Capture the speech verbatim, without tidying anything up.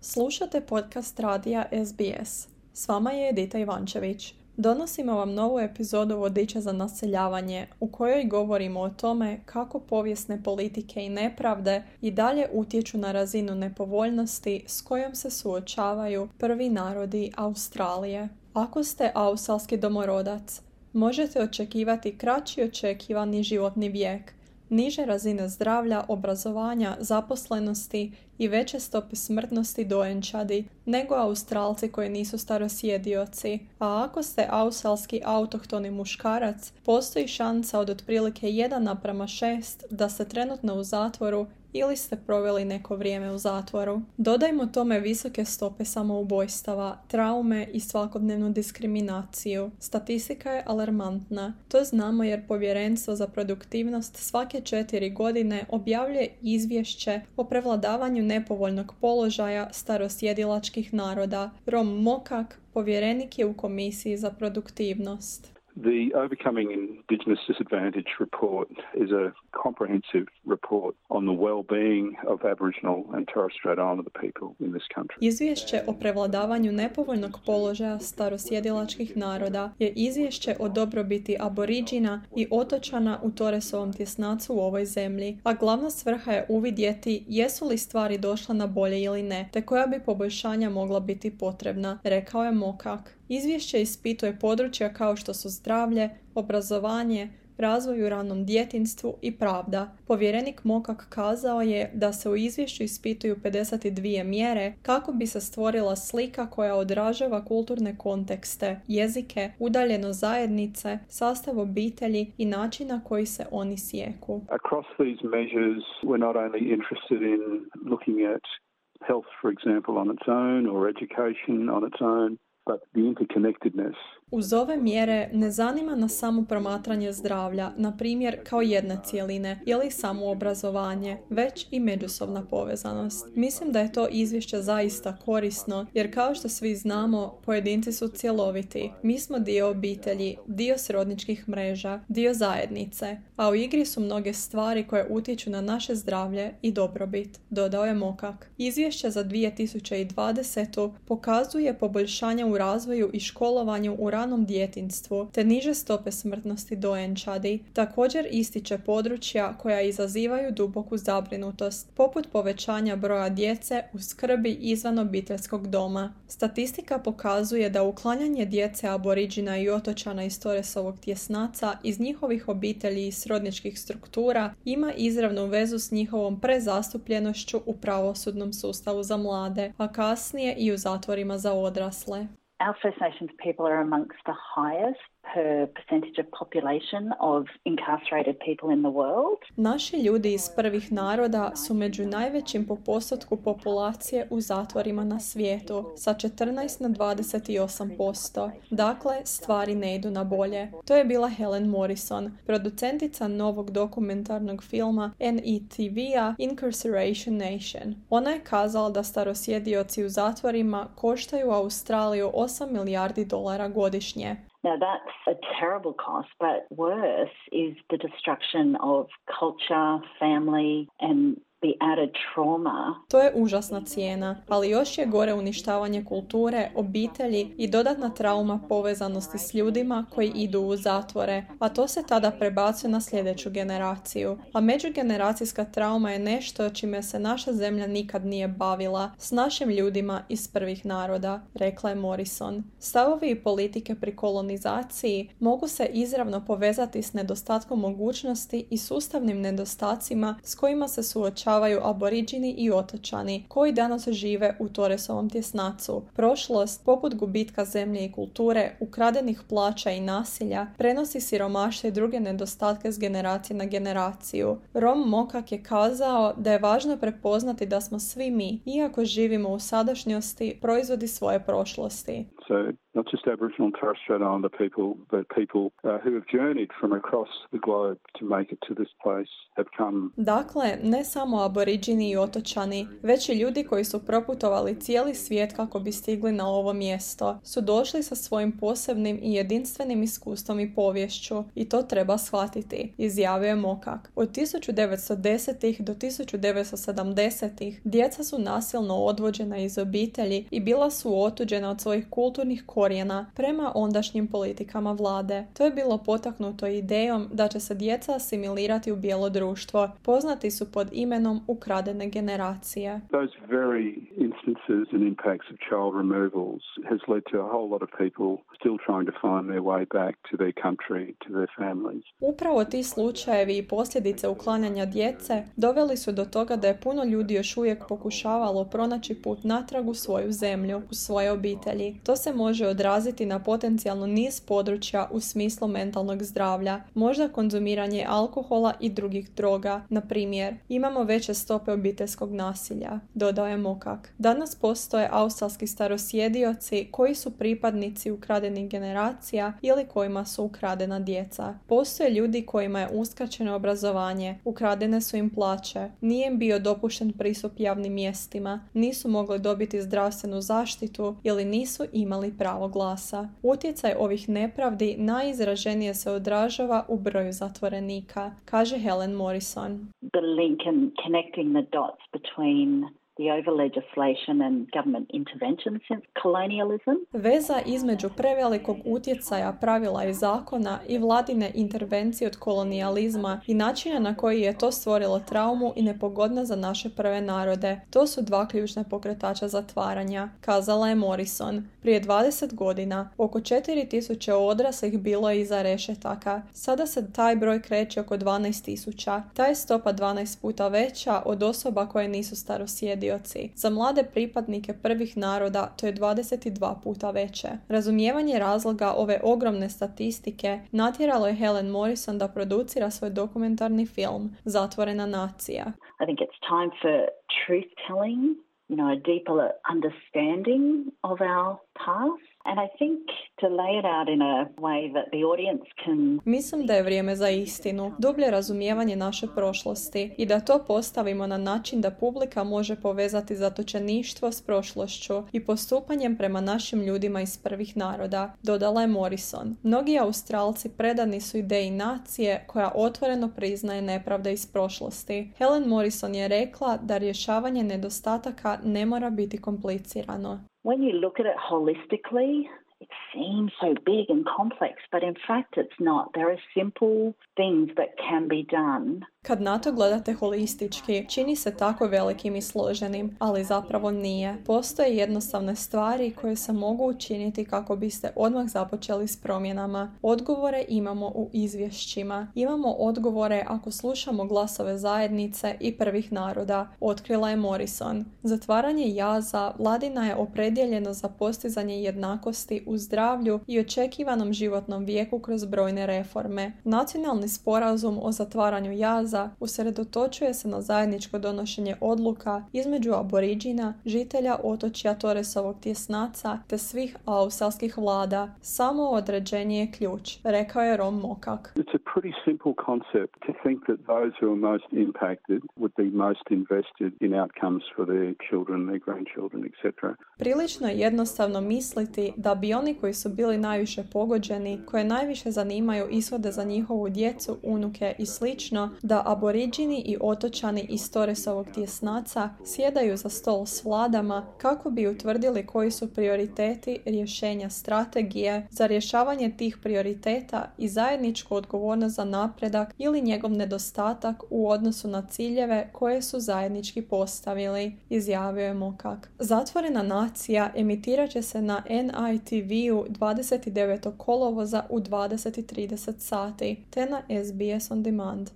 Slušate podcast radija S B S. S vama je Edita Ivančević. Donosimo vam novu epizodu Vodiča za naseljavanje, u kojoj govorimo o tome kako povijesne politike i nepravde i dalje utječu na razinu nepovoljnosti s kojom se suočavaju prvi narodi Australije. Ako ste australski domorodac, možete očekivati kraći očekivani životni vijek, niže razine zdravlja, obrazovanja, zaposlenosti i veće stope smrtnosti dojenčadi nego Australci koji nisu starosjedioci. A ako ste australski autohtoni muškarac, postoji šansa od otprilike jedan naprama šest da ste trenutno u zatvoru ili ste proveli neko vrijeme u zatvoru. Dodajmo tome visoke stope samoubojstava, traume i svakodnevnu diskriminaciju. Statistika je alarmantna. To znamo jer Povjerenstvo za produktivnost svake četiri godine objavljuje izvješće o prevladavanju nepovoljnog položaja starosjedilačkih naroda. Rom Mokak, povjerenik je u Komisiji za produktivnost. The Overcoming Indigenous Disadvantage report is a comprehensive report on the well-being of Aboriginal and Torres Strait Islander people in this country. Izvješće o prevladavanju nepovoljnog položaja starosjedilačkih naroda je izvješće o dobrobiti Aboriđina i otočana u Torresovom tjesnacu u ovoj zemlji, a glavna svrha je uvidjeti jesu li stvari došle na bolje ili ne, te koja bi poboljšanja mogla biti potrebna, rekao je Mokak. Izvješće ispituje područja kao što su zdravlje, obrazovanje, razvoj u ranom djetinjstvu i pravda. Povjerenik Mokak kazao je da se u izvješću ispituju pedeset dvije mjere kako bi se stvorila slika koja odražava kulturne kontekste, jezike, udaljenost zajednice, sastav obitelji i način na koji se oni sijeku. Across these measures, we're not only interested in looking at health, for example, on its own or education on its own, but the interconnectedness. Uz ove mjere ne zanima nas samo promatranje zdravlja, na primjer kao jedne cjeline ili samo obrazovanje, već i međusobna povezanost. Mislim da je to izvješće zaista korisno, jer kao što svi znamo, pojedinci su cjeloviti. Mi smo dio obitelji, dio srodničkih mreža, dio zajednice, a u igri su mnoge stvari koje utječu na naše zdravlje i dobrobit, dodao je Mokak. Izvješće za dvije tisuće dvadesetu pokazuje poboljšanja u razvoju i školovanju u ranom djetinjstvu, te niže stope smrtnosti dojenčadi. Također ističe područja koja izazivaju duboku zabrinutost, poput povećanja broja djece u skrbi izvan obiteljskog doma. Statistika pokazuje da uklanjanje djece Aboriđina i otočana iz Torresovog tjesnaca iz njihovih obitelji i srodničkih struktura ima izravnu vezu s njihovom prezastupljenošću u pravosudnom sustavu za mlade, a kasnije i u zatvorima za odrasle. Our First Nations people are amongst the highest per percentage of population of incarcerated people in the world. Naši ljudi iz prvih naroda su među najvećim po postotku populacije u zatvorima na svijetu, sa četrnaest na dvadeset osam posto. Dakle, stvari ne idu na bolje. To je bila Helen Morrison, producentica novog dokumentarnog filma N E T V-a Incarceration Nation. Ona je kazala da starosjedioci u zatvorima koštaju Australiju osam milijardi dolara godišnje. Now that's a terrible cost, but worse is the destruction of culture, family and the added trauma. To je užasna cijena, ali još je gore uništavanje kulture, obitelji i dodatna trauma povezanosti s ljudima koji idu u zatvore, a to se tada prebacuje na sljedeću generaciju. A međugeneracijska trauma je nešto čime se naša zemlja nikad nije bavila, s našim ljudima iz prvih naroda, rekla je Morrison. Stavovi i politike pri kolonizaciji mogu se izravno povezati s nedostatkom mogućnosti i sustavnim nedostacima s kojima se suočavaju Aboriđini i otočani koji danas žive u Torresovom tjesnacu. Prošlost, poput gubitka zemlje i kulture, ukradenih plaća i nasilja, prenosi siromaštvo i druge nedostatke s generacije na generaciju. Rom Mokak je kazao da je važno prepoznati da smo svi mi, iako živimo u sadašnjosti, proizvodi svoje prošlosti. So not just Aboriginal and Torres Strait Islander people, but people uh, who have journeyed from across the globe to make it to this place have come. Dakle, ne samo aboriđini i otočani, već i ljudi koji su proputovali cijeli svijet kako bi stigli na ovo mjesto, su došli sa svojim posebnim i jedinstvenim iskustvom i poviješću i to treba shvatiti, izjavio je Mokak. Od tisuću devetsto desetih do tisuću devetsto sedamdesetih djeca su nasilno odvođena iz obitelji i bila su otuđena od svojih kulturnih korijena prema ondašnjim politikama vlade. To je bilo potaknuto idejom da će se djeca asimilirati u bijelo društvo. Poznati su pod imenom ukradene generacije. Those very instances and impacts of child removals has led to a whole lot of people still trying to find their way back to their country, to their families. Upravo ti slučajevi i posljedice uklanjanja djece doveli su do toga da je puno ljudi još uvijek pokušavalo pronaći put natrag u svoju zemlju, u svoje obitelji. To se može odraziti na potencijalno niz područja u smislu mentalnog zdravlja, možda konzumiranje alkohola i drugih droga. Na primjer, imamo veće stope obiteljskog nasilja, dodao je Mokak. Danas postoje australski starosjedioci koji su pripadnici ukradenih generacija ili kojima su ukradena djeca. Postoje ljudi kojima je uskraćeno obrazovanje, ukradene su im plaće, nije im bio dopušten pristup javnim mjestima, nisu mogli dobiti zdravstvenu zaštitu ili nisu imali pravo glasa. Utjecaj ovih nepravdi najizraženije se odražava u broju zatvorenika, kaže Helen Morrison. The link and connecting the dots between the over legislation and government intervention since colonialism. Veza između prevelikog utjecaja pravila i zakona i vladine intervencije od kolonijalizma i načina na koji je to stvorilo traumu i nepogodnost za naše prve narode. To su dva ključna pokretača zatvaranja, kazala je Morrison. Prije dvadeset godina oko četiri tisuće odraslih bilo je iza rešetaka. Sada se taj broj kreće oko dvanaest tisuća. Ta je stopa dvanaest puta veća od osoba koje nisu starosjedioci. Za mlade pripadnike prvih naroda to je dvadeset dva puta veće. Razumijevanje razloga ove ogromne statistike natjeralo je Helen Morrison da producira svoj dokumentarni film Zatvorena nacija. I think it's time for truth telling, you know, a deeper understanding of our past. And I think to lay it out in a way that the audience can... Mislim da je vrijeme za istinu, dublje razumijevanje naše prošlosti i da to postavimo na način da publika može povezati zatočeništvo s prošlošću i postupanjem prema našim ljudima iz prvih naroda, dodala je Morrison. Mnogi Australci predani su ideji nacije koja otvoreno priznaje nepravde iz prošlosti. Helen Morrison je rekla da rješavanje nedostataka ne mora biti komplicirano. When you look at it holistically, it seems so big and complex, but in fact it's not. There are simple things that can be done. Kad na to gledate holistički, čini se tako velikim i složenim, ali zapravo nije. Postoje jednostavne stvari koje se mogu učiniti kako biste odmah započeli s promjenama. Odgovore imamo u izvješćima. Imamo odgovore ako slušamo glasove zajednice i prvih naroda, otkrila je Morrison. Zatvaranje jaza vladina je opredjeljeno za postizanje jednakosti u zdravlju i očekivanom životnom vijeku kroz brojne reforme. Nacionalni sporazum o zatvaranju jaza usredotočuje se na zajedničko donošenje odluka između aboriđina, žitelja otočja Torresovog tjesnaca te svih australskih vlada. Samo određenje je ključ, rekao je Rom Mokak. It's a pretty simple concept to think that those who are most impacted would be most invested in outcomes for their children, their grandchildren, et cetera. Prilično je jednostavno misliti da bi oni koji su bili najviše pogođeni, koje najviše zanimaju ishode za njihovu djecu, unuke i slično, da aboriđini i otočani iz Torresovog tjesnaca sjedaju za stol s vladama kako bi utvrdili koji su prioriteti, rješenja, strategije za rješavanje tih prioriteta i zajedničku odgovornost za napredak ili njegov nedostatak u odnosu na ciljeve koje su zajednički postavili, izjavio je Mokak. Zatvorena nacija emitirat će se na N I T V-u dvadeset devetog kolovoza u dvadeset i trideset sati te na S B S On Demand.